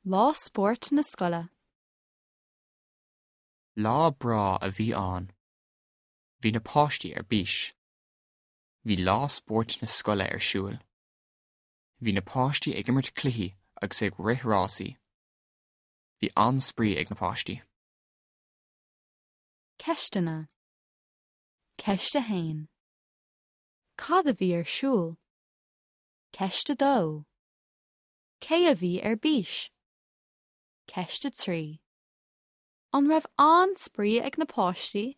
Lá Spóirt na Scoile. Lá breá a bhí ann. Bhí na páistí ar bís. Bhí lá spóirt na scoile ar siúl. Bhí na páistí ag imirt cluichí agus ag rith rásaí. Bhí an-spraoi ag na páistí. Ceisteanna. Ceist 1. Cad a bhí ar siúl? Ceist 2. Cé a bhí ar bís? Ceist 3. An raibh an-spraoi ag na páistí?